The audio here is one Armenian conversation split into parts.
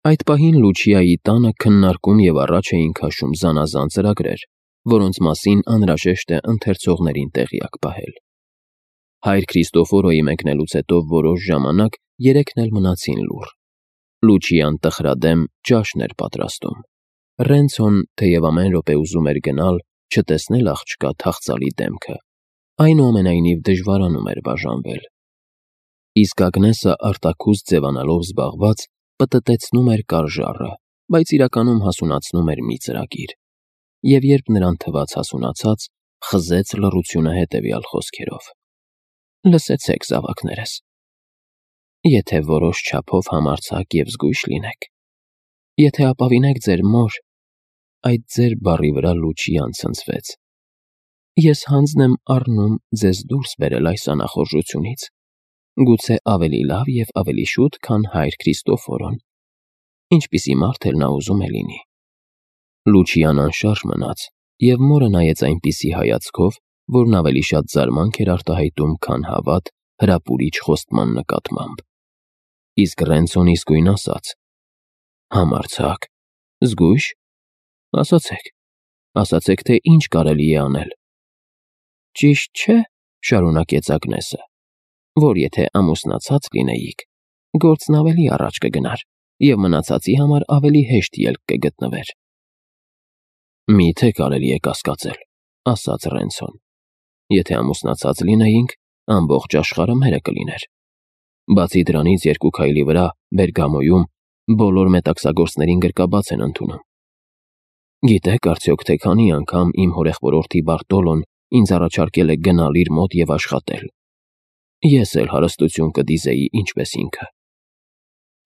Այդ պահին Լուչիայի տանը քննարկում և առաջ էին քաշում զանազան ծրագրեր, որոնց մասին անհրաժեշտ է ընթերցողներին տեղյակ պահել։ Հայր Քրիստոֆորոյի մեկնելուց հետո որոշ ժամանակ երեքն էլ մնացին լուռ։ Լուչիան տխրադեմ ճաշն էր պատրաստում։ Ռենցոն, թեև ամեն րոպե ուզում էր գնալ, չտեսնել աղջկա թախծալի դեմքը, այնուամենայնիվ դժվարանում էր բաժանվել։ Իսկ Ագնեսը արտաքուստ ձևանալով զբաղված, պտտեցնում էր կարժառը, բայց իրականում հասունացնում էր մի ծրագիր։ Եվ երբ նրան թվաց հասունացած, խզեց լռությունը հետևյալ խոսքերով. «Լսեցեք, զավակներս, եթե որոշ չափով համարձակ և զգույշ լինեք, եթե ապավինեք ձեր մոր», այդ ձեր բառի վրա Լուչիան ցնցվեց, «ես հանձն եմ առնում ձեզ դուրս բերել այս անախորժությունից, գուցե ավելի լավ և ավելի շուտ, քան հայր Քրիստոֆորոն, ինչպիսի մարդ էլ նա ուզում է լինի»։ Լուչիան անշարժ մնաց, և մորը նայեց այնպիսի հայացքով, որն ավելի շատ զարմանք էր արտահայտում, քան հավատ հրապուրիչ խոստման նկատմամբ։ Իսկ Ռենցոն իսկույն ասաց. «Համարձակ, զգույշ, ասացեք, թե ինչ կարելի է անել»։ «Ճիշտ չէ, ֊ շարունակեց Ագնեսը, ֊ որ եթե ամուսնացած լինեիք, գործն ավելի առաջ կգնար և մնացածի համար ավելի հեշտ ելք կգտնվեր»։ «Մի՞թե կարելի է կասկածել, ֊ ասաց Ռենցոն, ֊ եթե ամուսնացած լինեինք, ամբողջ աշխարհը մերը կլիներ։ Բացի դրանից, 2 քայլի վրա, Բերգամոյում, բոլոր մետաքսագործներին գրկաբաց են ընդունում։ Գիտեք արդյոք, թե քանի անգամ իմ հորեղբորորդի Բարտոլոն ինձ առաջարկել է գնալ իր մոտ և աշխատել։ Ես էլ հարստություն կդիզեի ինչպես ինքը։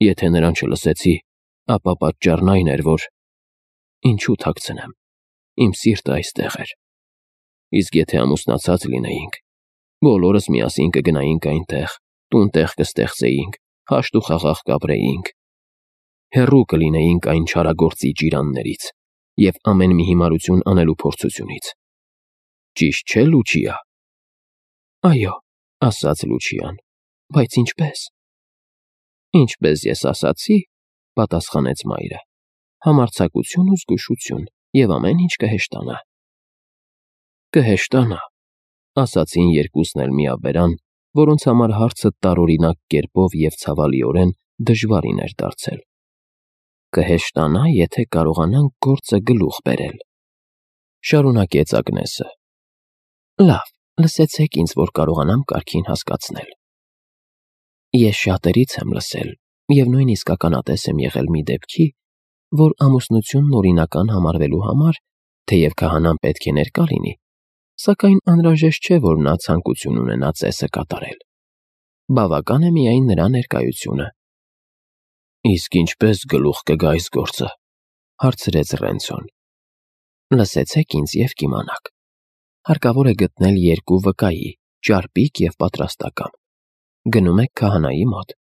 Եթե նրան չլսեցի, ապա պատճառն այն էր, որ… Ինչու թաքցնեմ, իմ սիրտը այստեղ էր։ Իսկ եթե ամուսնացած լինեինք, բոլորս միասին կգնայինք այնտեղ, տուն-տեղ կստեղծեինք, հաշտ ու խաղաղ կապրեինք, հեռու կլինեինք այն չարագործիչ իրաններից և ամեն մի հիմարություն անելու փորձությունից։ Ճիշտ չէ, Լուչիա։ «Այո, ֊ ասաց Լուչիան, ֊ բայց ինչպե՞ս»։ «Ինչպես ես ասացի, ֊ պատասխանեց մայրը, ֊ համարձակություն ու զգուշություն, և ամեն ինչ կհեշտանա»։ «Կհեշտանա», ֊ ասացին երկուսն էլ միաբերան, որոնց համար հարցը տարօրինակ կերպով և ցավալիորեն դժվարին էր դարձել։ «Կհեշտանա, եթե կարողանանք գործը գլուխ բերել», ֊ շարունակեց Ագնեսը։ «Լավ, լսեցեք ինձ, որ կարողանամ կարգին հասկացնել։ Ես շատերից եմ լսել և նույնիսկ ականատես եմ եղել մի դեպքի, որ ամուսնությունն օրինական համարվելու համար, թեև քահանան պետք է ներկա լինի, սակայն անհրաժեշտ չէ, որ նա ցանկություն ունենա ծեսը կատարել։ Բավական է միայն նրա ներկայությունը»։ «Իսկ ինչպե՞ս գլուխ կգա այս գործը, ֊ հարցրեց Ռենցոն։ «Լսեցեք ինձ և կիմանաք։ Հարկավոր է գտնել 2 վկայի, ճարպիկ և պատրաստակամ։ Գնում եք քահանայի մոտ։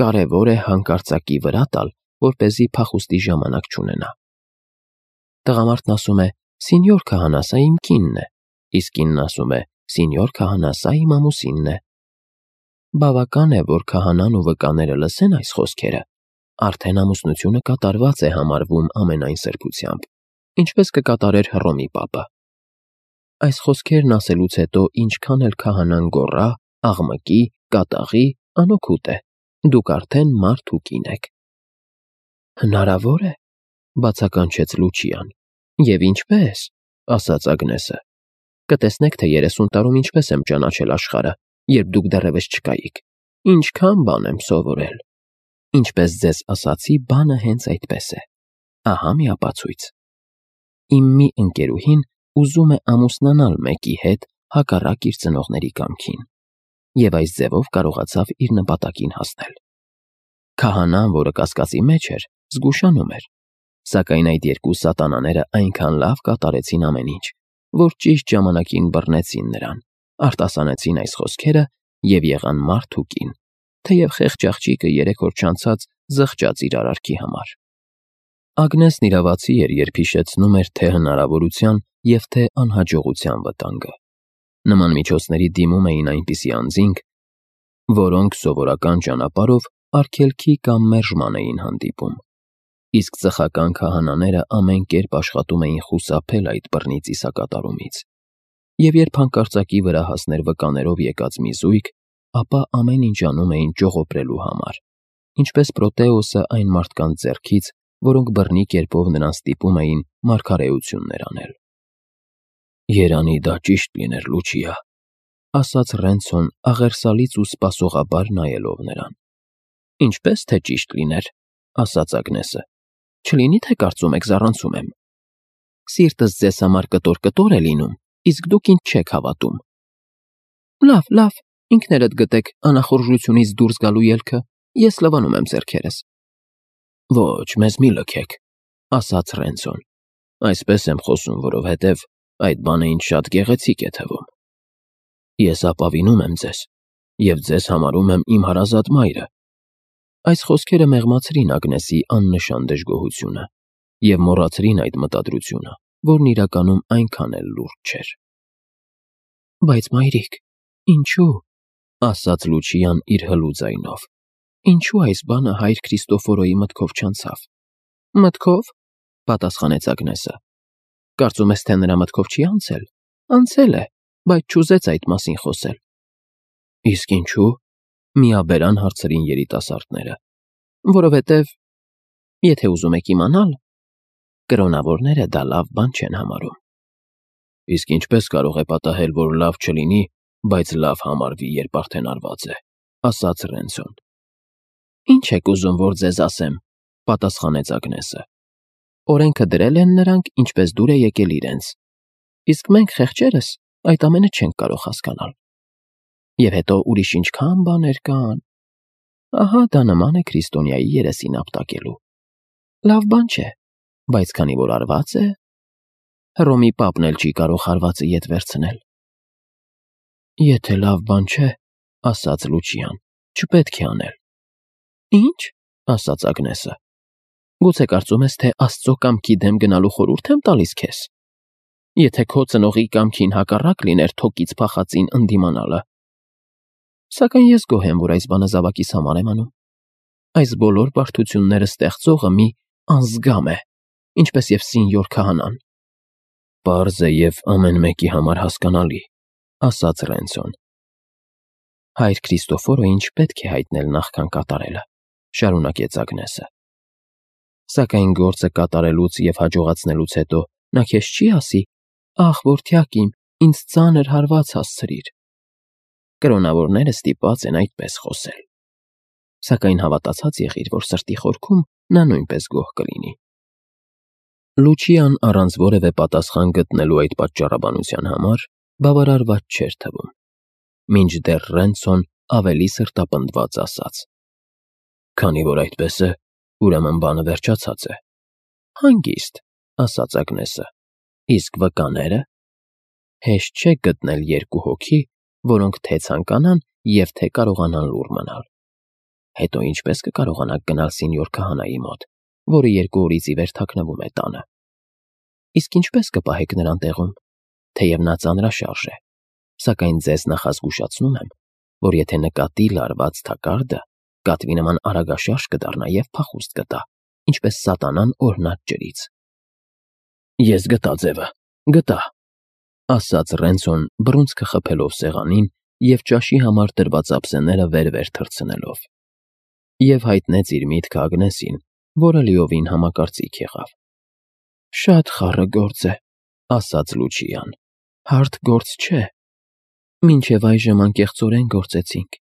Կարևոր է հանկարծակի վրա տալ, որպեսզի փախուստի ժամանակ չունենա։ Տղամարդն ասում է. «Սինյոր քահանա, սա իմ կինն է», իսկ կինն ասում է. «Սինյոր քահանա, սա իմ ամուսինն է»։ Բավական է, որ քահանան ու վկաները լսեն այս խոսքերը, արդեն ամուսնությունը կատարված է համարվում ամենայն սրբությամբ, ինչպես կկատարեր Հռոմի պապը։ Այս խոսքերն ասելուց հետո ինչքան էլ քահանան գոռա, աղմկի, կատաղի, անօգուտ է, դուք արդեն մարդ ու կին եք։ «Հնարավոր է, ֊ բացականչեց Լուչիան։ «Եվ ինչպե՞ս», ֊ ասաց Ագնեսը։ «Կտեսնեք, թե 30 տարում ինչպես եմ ճանաչել աշխարհը, երբ դուք դեռևս չկայիք, ինչքան բան եմ սովորել։ Ինչպես ձեզ ասացի, բանը հենց այդպես է։ Ահա մի ապացույց. Իմ մի ընկերուհին ուզում է ամուսնանալ մեկի հետ հակառակ իր ծնողների կամքին, և այս ձևով կարողացավ իր նպատակին հասնել։ Քահանան, որը կասկածի մեջ էր, զգուշանում էր, սակայն այդ 2 սատանաները այնքան լավ կատարեցին ամեն ինչ, որ ճիշտ ժամանակին բռնեցին նրան, արտասանեցին այս խոսքերը և եղան մարդ ու կին, թեև խեղճ աղջիկը 3 օր չանցած զղջաց իր արարքի համար։ Ագնեսն իրավացի էր, երբ հիշեցնում էր թե հնարավորության և թե անհաջողության վտանգը։ Նման միջոցների դիմում էին այնպիսի անձինք, որոնք սովորական ճանապարհով արգելքի կամ մերժման էին հանդիպում, իսկ ծխական քահանաները ամեն կերպ աշխատում էին խուսափել այդ բռնի ծիսակատարումից, և երբ հանկարծակի վրա հասներ վկաներով եկած մի զույգ, ապա ամեն ինչ անում էին ճողոպրելու համար, ինչպես Պրոտեոսը այն մարդկանց ձեռքից, որոնք բռնի կերպով նրան ստիպում էին մարգարեություններ անել։ «Երանի դա ճիշտ լիներ, Լուչիա», ասաց Ռենցոն աղերսալից ու սպասողաբար նայելով նրան։ «Ինչպես թե ճիշտ լիներ», ասաց Ագնեսը, «չլինի թե կարծում եք զառանցում եմ։ Սիրտս ձեզ համար կտոր է լինում, իսկ դուք ինձ չեք հավատում։ Լավ, ինքներդ գտեք անախորժությունից դուրս գալու ելքը, ես լվանում եմ ձեռքերս»։ «Ոչ, մեզ մի լքեք», ասաց Ռենցոն, «այսպես եմ խոսում, որովհետև այդ բանը ինձ շատ գեղեցիկ է թվում։ Ես ապավինում եմ ձեզ և ձեզ համարում եմ իմ հարազատ մայրը»։ Այս խոսքերը մեղմացրին Ագնեսի աննշան դժգոհությունը և մոռացրին այդ մտադրությունը, որն իրականում այնքան էլ լուրջ չէր։ «Բայց մայրիկ, ինչու՞, ասաց Լուչիան իր հլու ձայնով, «ինչու այս բանը հայր Քրիստոֆորոյի մտքով չանցավ»։ «Մտքով», պատասխանեց Ագնեսը, «կարծում ես, թե նրա մտքով չի անցել։ Անցել է, բայց չուզեց այդ մասին խոսել»։ «Իսկ ինչու՞», միաբերան հարցրին երիտասարդները։ «Որովհետև, եթե ուզում եք իմանալ, կրոնավորները դա լավ բան չեն համարում»։ «Իսկ ինչպես կարող է պատահել, որ լավ չլինի, բայց լավ համարվի, երբ արդեն արված է», ասաց Ռենցոն։ «Ինչ եք ուզում, որ ձեզ ասեմ», պատասխանեց Ագնեսը։ «Օրենքը դրել են նրանք, ինչպես դուր է եկել իրենց, իսկ մենք խեղճերս այդ ամենը չենք կարող հասկանալ։ Եվ հետո ուրիշ ինչքան բաներ կան։ Ահա դա նման է քրիստոնյայի երեսին ապտակելու։ Լավ բան չէ, բայց քանի որ արված է, Հռոմի պապն էլ չի կարող հարվածը ետ վերցնել»։ «Եթե լավ բան չէ, ասաց Լուչիան, չպետք է անել»։ «Ինչ», ասաց Ագնեսը, «գուցե կարծում ես, թե Աստծո կամքի դեմ գնալու խորհուրդ եմ տալիս քեզ։ Եթե քո ծնողի կամքին հակառակ լիներ թոկից փախածին ընդդիմանալը։ Սակայն ես գոհ եմ, որ այս բանը զավակիս համար եմ անում։ Այս բոլոր բարդությունները ստեղծողը մի անզգամ է, ինչպես և Սինյոր քահանան»։ «Պարզ է և ամեն մեկի համար հասկանալի», ասաց Ռենցոն։ «Հայր Քրիստոֆորոյին չպետք է հայտնել նախքան կատարելը», շարունակեց Ագնեսը։ «Սակայն գործը կատարելուց և հաջողացնելուց հետո նա քեզ չի ասի. «Ախ, որդյակ իմ, ինձ ծանր հարված հասցրիր»։ Կրոնավորները ստիպված են այդպես խոսել։ Սակայն հավատացած եղիր, որ սրտի խորքում նա նույնպես գոհ կլինի»։ Լուչիան առանց որևէ պատասխան գտնելու այդ պատճառաբանության համար բավարարված չէր թվում, մինչդեռ Ռենցոն ավելի սրտապնդված ասաց. «Քանի որ այդպես է, ուրեմն բանը վերջացած է»։ «Հանգիստ», ասաց Ագնեսը, «իսկ վկաները»։ Հեշտ չէ գտնել երկու հոգի, որոնք թե ցանկանան և թե կարողանան լուռ մնալ։ Հետո ինչպես կկարողանաք գնալ Սինյոր քահանայի մոտ, որը 2 օրից ի վեր թաքնվում է տանը։ Իսկ ինչպես կպահեք նրան տեղում, թեև նա ծանրաշարժ է, սակայն ձեզ նախազգուշացնում եմ, որ եթե նկատի լարված թակարդը, կատվի նման արագաշարժ կդառնա և փախուստ կտա, ինչպես սատանան օրհնած ջրից»։ «Ես գտա ձևը, գտա», ասաց Ռենցոն բռունցքը խփելով սեղանին և ճաշի համար տրված ափսեները վեր թռցնելով։ Եվ հայտնեց իր միտքը Ագնեսին, որը լիովին համակարծիք եղավ։ «Շատ խառը գործ է», ասաց Լուչիան, «հարթ գործ չէ։ Մինչև այժմ անկեղծորեն գործեցինք։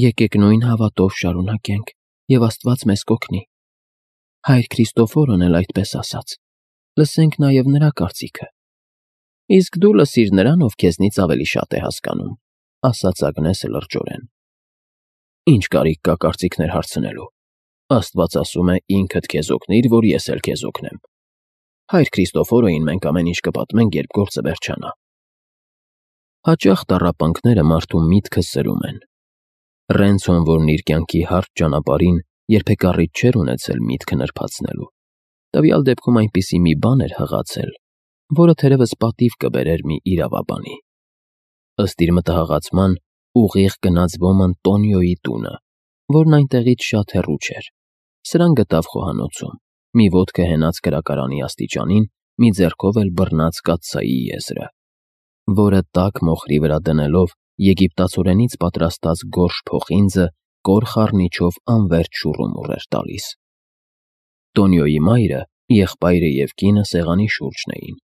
Եկեք նույն հավատով շարունակենք, և Աստված մեզ կօգնի։ Հայր Քրիստոֆորոն էլ այդպես ասաց։ Լսենք նաև նրա կարծիքը»։ «Իսկ դու լսիր նրան, ով քեզնից ավելի շատ է հասկանում», ասաց Ագնեսը լրջորեն։ «Ինչ կարիք կա կարծիքներ հարցնելու։ Աստված ասում է. «Ինքդ քեզ օգնիր, որ ես էլ քեզ օգնեմ»։ Հայր Քրիստոֆորոյին մենք ամեն ինչ կպատմենք, երբ գործը վերջանա»։ Հաճախ տառապանքները մարդու միտքը սրում են։ Ռենցոն, որն իր կյանքի հարթ ճանապարհին երբեք առիթ չէր ունեցել միտքը նրբացնելու, տվյալ դեպքում այնպիսի մի բան էր հղացել, որը թերևս պատիվ կբերեր մի իրավաբանի։ Ըստ իր մտահղացման, ուղիղ գնաց ոմն Տոնիոյի տունը, որն այնտեղից շատ հեռու չէր։ Սրան գտավ խոհանոցում, մի ոտքը հենած կրակարանի աստիճանին, մի ձեռքով էլ բռնած կաթսայի եզրը, որը տաք մոխրի վրա դնելով եգիպտացորենից պատրաստած գորշ փոխինձը կոր խառնիչով անվերջ շուռումուռ էր տալիս։ Տոնիոյի մայրը, եղբայրը և կինը սեղանի շուրջն էին,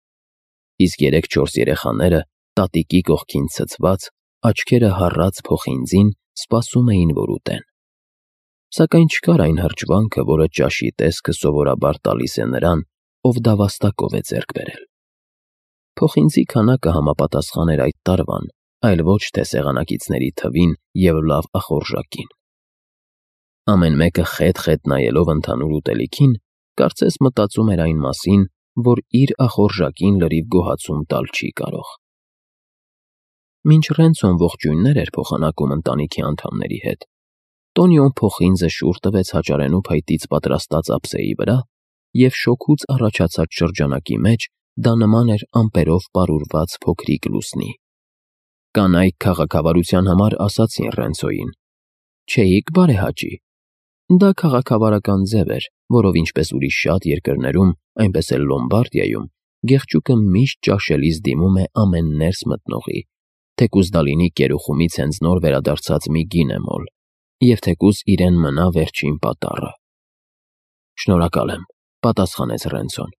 իսկ 3-4 երեխաները տատիկի կողքին ցցված, աչքերը հառած փոխինձին սպասում էին, որ ուտեն։ Սակայն չկար այն հրճվանքը, որը ճաշի տեսքը սովորաբար տալիս է նրան, ով դավաստակով է ձեռք բերել։ Փոխինձի քանակը համապատասխան էր այդ տարվան, այլ ոչ թե սեղանակիցների թվին և լավ ախորժակին։ Ամեն մեկը խետ-խետ նայելով ընդհանուր ուտելիքին, կարծես մտածում էր այն մասին, որ իր ախորժակին լրիվ գոհացում տալ չի կարող։ Մինչ Ռենցոն ողջույններ էր փոխանակում ընտանիքի անդամների հետ, Տոնիոն փոխինձը շուռ տվեց հաճարենու փայտից պատրաստած ափսեի վրա և շոգուց առաջացած շրջանակի մեջ դա նման էր ամպերով պարուրված փոքրիկ լուսնի։ Կանայք քաղաքավարության համար ասացին Ռենցոյին. «Չէիք բարեհաճի»։ Դա քաղաքավարական ձև էր, որով ինչպես ուրիշ շատ երկրներում, այնպես էլ Լոմբարդիայում, գեղջուկը միշտ ճաշելիս դիմում է ամեն ներս մտնողի, թեկուզ դա լինի կերուխումից հենց նոր վերադարձած մի գինեմոլ, և թեկուզ իրեն մնա վերջին պատառը։ «Շնորհակալ եմ», պատասխանեց Ռենցոն։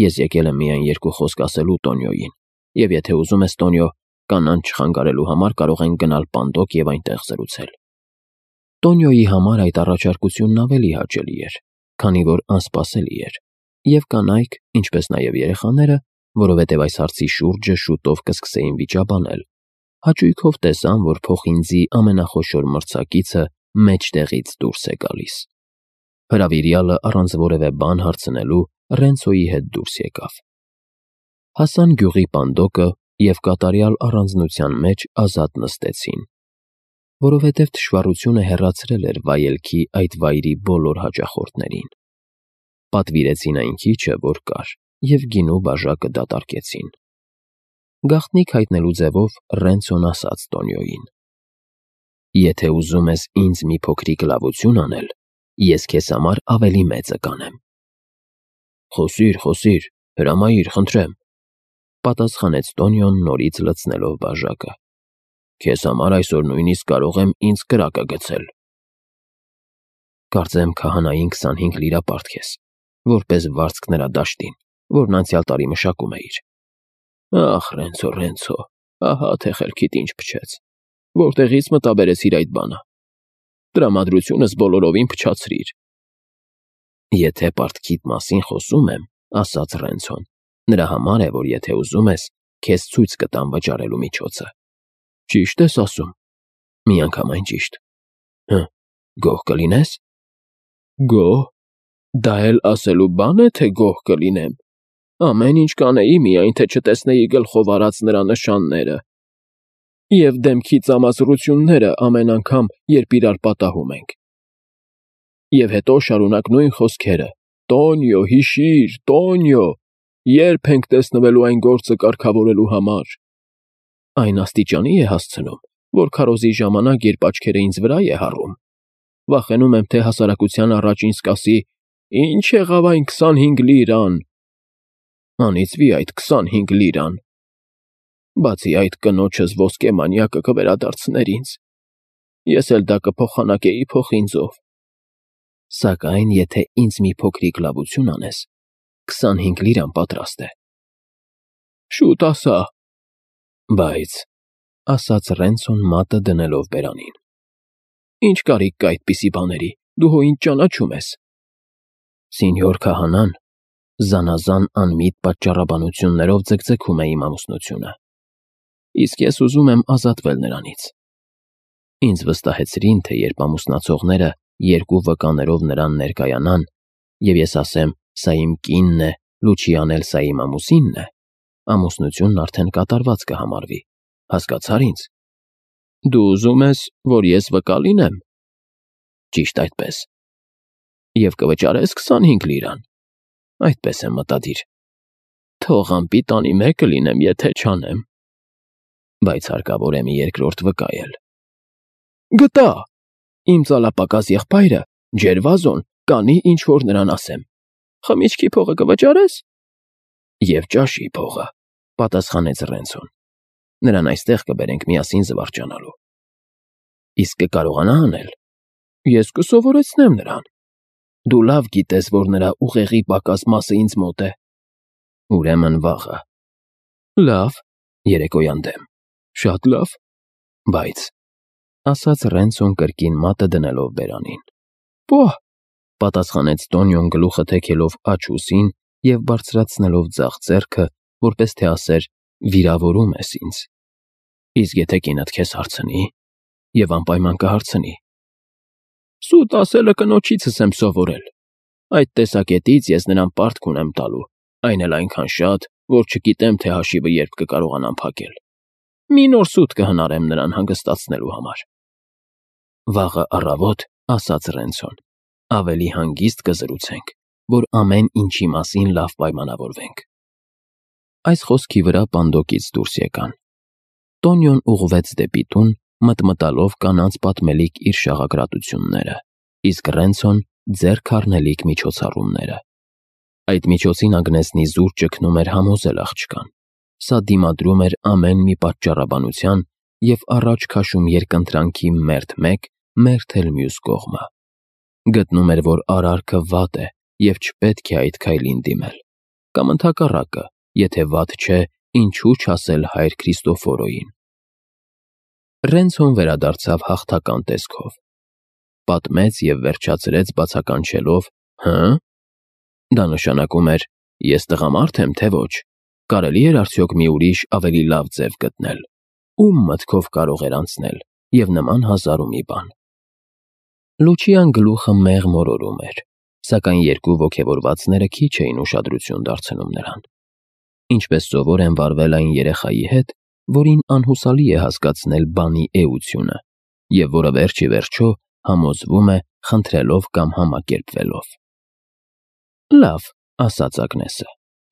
«Ես եկել եմ միայն երկու խոսք ասելու Տոնիոյին, և եթե ուզում ես, Տոնիո, կանանց չխանգարելու համար կարող ենք գնալ Պանդոկ և այնտեղ զրուցել»։ Տոնիոյի համար այդ առաջարկությունն ավելի հաճելի էր, քանի որ անսպասելի էր, և կանայք, ինչպես նաև երեխաները, որովհետև այս հարցի շուրջը շուտով կսկսեին վիճաբանել, հաճույքով տեսան, որ փոխինձի ամենախոշոր մրցակիցը մեջտեղից դուրս է գալիս։ Հրավիրյալը առանց որևէ բան հարցնելու Ռենցոյի հետ դուրս եկավ։ Հասան գյուղի Պանդոկը և կատարյալ առանձնության մեջ ազատ նստեցին, որովհետև թշվառությունը հեռացրել էր վայելքի այդ վայրի բոլոր հաճախորդներին։ Պատվիրեցին այն քիչը, որ կար, և գինու բաժակը դատարկեցին։ Գաղտնիք հայտնելու ձևով Ռենցոն ասաց Տոնիոյին. «Եթե ուզում ես ինձ մի փոքրիկ լավություն անել, ես քեզ համար ավելի մեծը կանեմ»։ Խոսիր, հրամայիր, խնդրեմ, պատասխանեց Տոնիոն նորից լցնելով բաժակը։ Քեզ համար այսօր նույնիսկ կարող եմ ինձ կրակը գցել։ Կարծեմ քահանային 25 լիրա պարտքես, որպես վարձք նրա դաշտին, որն անցյալ տարի մշակում էիր։ Ախ, Ռենցո, ահա թե խելքիդ ինչ փչեց, որտեղից մտաբերեցիր այդ բանը։ Տրամադրությունս բոլորովին փչացրիր։ Եթե պարտքիդ մասին խոսում եմ, ասաց Ռենցոն, նրա համար է, որ եթե ուզում ես, քեզ ցույց կտամ վճարելու միջոցը։ Ճիշտ ես ասում։ Միանգամայն ճիշտ։ Գոհ կլինես։ Գոհ։ Դա էլ ասելու բան է, թե գոհ կլինեմ։ Ամեն ինչ կանեի, միայն թե չտեսնեի գլխով արած նրա նշանները և դեմքի ծամազրությունները ամեն անգամ, երբ իրար պատահում ենք։ Եվ հետո շարունակ նույն խոսքերը. Տոնիո, հիշիր, Տոնիո, երբ ենք տեսնվելու այն գործը կարգավորելու համար։ Այն աստիճանի է հասցնում, որ քարոզի ժամանակ, երբ աչքերը ինձ վրա է հառում, վախենում եմ, թե հասարակության առաջ ինձ կասի. «Ինչ եղավ այն 25 լիրան»։ Անիծվի այդ 25 լիրան։ Բացի այդ, կնոջս ոսկե մանյակը կվերադարձներ ինձ։ Ես էլ դա կփոխանակեի փոխինձով։ Սակայն եթե ինձ մի փոքրիկ լավություն անես, 25 լիրան պատրաստ է։ Շուտ ասա։ Բայց, ասաց Ռենցոն մատը դնելով բերանին։ Ինչ կարիք կա այդպիսի բաների, դու հո ինձ ճանաչում ես։ Սինьոր քահանան զանազան անմիտ պատճառաբանություններով ձգձգում է իմ ամուսնությունը, իսկ ես ուզում եմ ազատվել նրանից։ Ինձ վստահեցրին, թե երբ ամուսնացողները երկու վկաներով նրան ներկայանան, և ես ասեմ, սա իմ կինն է, Լուչիան էլ սա իմ ամուսինն է, ամուսնությունն արդեն կատարված կհամարվի, հասկացա՞ր ինձ։ Դու ուզում ես, որ ես վկա լինեմ։ Ճիշտ այդպես։ Եվ կվճարես 25 լիրան։ Այդպես եմ մտադիր։ Թող անպիտանի մեկը լինեմ, եթե չանեմ։ Բայց հարկավոր է մի երկրորդ վկա էլ։ Գտա։ Իմ ծալապակաս եղբայրը, Ջերվազոն, կանի ինչ-որ նրան ասեմ։ Խմիչքի փողը կվճարես։ Եվ ճաշի փողը, պատասխանեց Ռենցոն։ Նրան այստեղ կբերենք միասին զվարճանալու։ Իսկ կկարողանա անել։ Ես կսովորեցնեմ նրան։ Դու լավ գիտես, որ նրա ուղեղի պակաս մասը ինձ մոտ է։ Ուրեմն վաղը։ Լավ, երեկոյան դեմ։ Շատ լավ։ Բայց, ասաց Ռենցոն կրկին մատը դնելով բերանին։ Պահ, պատասխանեց Տոնյոն գլուխը թեքելով աջ ուսին և բարձրացնելով ձախ ձեռքը, որպես թե ասեր. վիրավորում ես ինձ։ Իսկ եթե կինդ քեզ հարցնի, և անպայման կհարցնի։ Սուտ ասելը կնոջիցս եմ սովորել։ Այդ տեսակետից ես նրան պարտք ունեմ տալու, այն էլ այնքան շատ, որ չգիտեմ, թե հաշիվը երբ կկարողանամ փակել։ Մի նոր սուտ կհնարեմ նրան հանգստացնելու համար։ Վաղը առավոտ, ասաց Ռենցոն, ավելի հանգիստ կզրուցենք, որ ամեն ինչի մասին լավ պայմանավորվենք։ Այս խոսքի վրա պանդոկից դուրս եկան։ Տոնյոն ուղղվեց դեպի տուն, մտմտալով կանանց պատմելիք իր շաղակրատությունները, իսկ Ռենցոն ձեռք առնելիք միջոցառումները։ Այդ միջոցին Ագնեսն իզուր ճգնում էր համոզել աղջկան։ Սա դիմադրում էր ամեն մի պատճառաբանության և առաջ քաշում երկընտրանքի մերթ մեկ, մերթ էլ մյուս կողմը։ Գտնում էր, որ արարքը վատ է և չպետք է այդ քայլին դիմել։ Կամ ընդհակառակը, եթե վատ չէ, ինչու չասել հայր Քրիստոֆորոյին։ Ռենցոն վերադարձավ հաղթական տեսքով։ Պատմեց և վերջացրեց բացականչելով. հը՞։ Դա նշանակում էր. ես տղամարդ եմ, թե ոչ։ Կարելի էր արդյոք մի ուրիշ ավելի լավ ձև գտնել։ Ում մտքով կարող էր անցնել, և նման հազար ու մի բան։ Լուչիան գլուխը մեղմ օրորում էր, սակայն երկու ոգևորվածները քիչ էին ուշադրություն դարձնում նրան։ Ինչպես սովոր են վարվել այն երեխայի հետ, որին անհուսալի է հասկացնել բանի էությունը, և որը վերջ ի վերջո համոզվում է խնդրելով կամ համակերպվելով։ Լավ, ասաց Ագնեսը,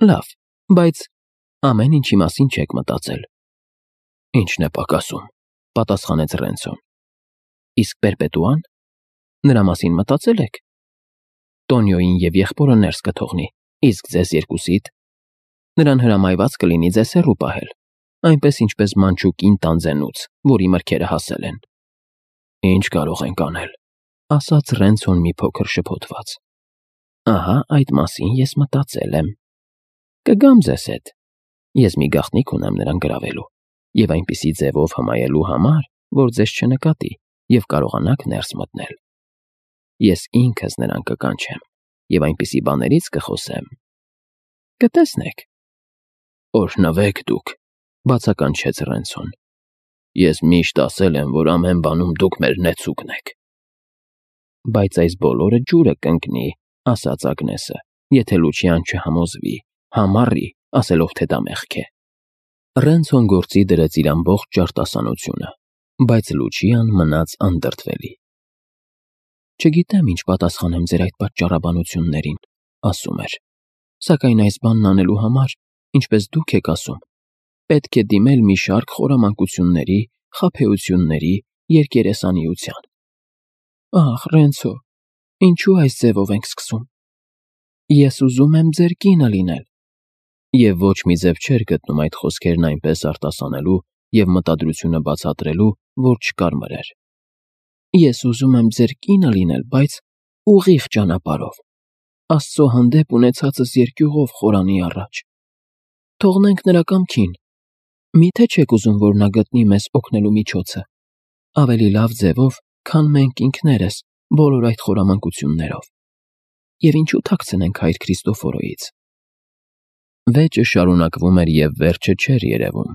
լավ, բայց ամեն ինչի մասին չեք մտածել։ Ինչն է պակասում, պատասխանեց Ռենցոն։ Իսկ Պերպետուան, նրա մասին մտածել եք։ Տոնյոին և եղբորը ներս կթողնի, իսկ ձեզ երկուսիդ։ Նրան հրամայված կլինի ձեզ հեռու պահել, այնպես ինչպես մանչուկին տանձենուց, որի մրգերը հասել են։ Ինչ կարող ենք անել, ասաց Ռենցոն մի փոքր շփոթված։ Ահա այդ մասին ես մտածել եմ։ Կգամ ձեզ հետ։ Ես մի գաղտնիք ունեմ նրան գրավելու և այնպիսի ձևով հմայելու համար, որ ձեզ չնկատի և կարողանաք ներս մտնել։ Ես ինքս նրան կկանչեմ և այնպիսի բաներից կխոսեմ։ Կտեսնեք։ Օրհնվեք դուք, բացականչեց Ռենցոն։ Ես միշտ ասել եմ, որ ամեն բանում դուք մեր նեցուկն եք։ Բայց այս բոլորը ջուրը կընկնի, ասաց Ագնեսը, եթե Լուչիան չհամոզվի, համառի, ասելով, թե դա մեղք է։ Ռենցոն գործի դրեց իր ամբողջ ջարդասանությունը, բայց Լուչիան մնաց անդրդվելի։ Չգիտեմ ինչ պատասխանեմ ձեր այդ պատճառաբանություններին, ասում էր, սակայն այս բանն անելու համար, ինչպես դուք եք ասում, պետք է դիմել մի շարք խորամանկությունների, խաբեությունների, երկերեսանիության։ Ահ, Ռենցո, ինչու այս ձևով ենք սկսում։ Ես ուզում եմ ձեր կինը լինել։ Եվ ոչ մի ձև չէր գտնում այդ խոսքերն այնպես արտասանելու և մտադրությունը բացատրելու, որ չկարմրեր։ Ես ուզում եմ ձեր կինը լինել, բայց ուղիղ ճանապարհով, Աստծո հանդեպ ունեցածս երկյուղով խորանի առաջ։ Թողնենք նրա կամքին։ Միթե չեք ուզում, որ նա գտնի մեզ օգնելու միջոցը, ավելի լավ ձևով, քան մենք ինքներս, բոլոր այդ խորամանկություններով։ Եվ ինչու թաքցնենք հայր Քրիստոֆորոյից։ Վեճը շարունակվում էր և վերջը չէր երևում,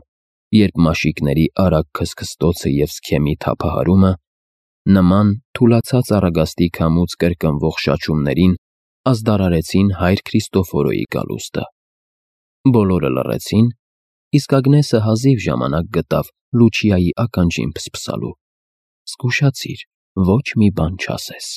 երբ մաշիկների արագ քսքստոցը և սքեմի թափահարումը նման թուլացած առագաստի քամուց կրկնվող շաչումներին ազդարարեցին հայր Քրիստոֆորոյի գալուստը։ Բոլորը լռեցին, իսկ Ագնեսը հազիվ ժամանակ գտավ Լուչիայի ականջին փսփսալու. «Զգուշացիր, ոչ մի բան չասես»։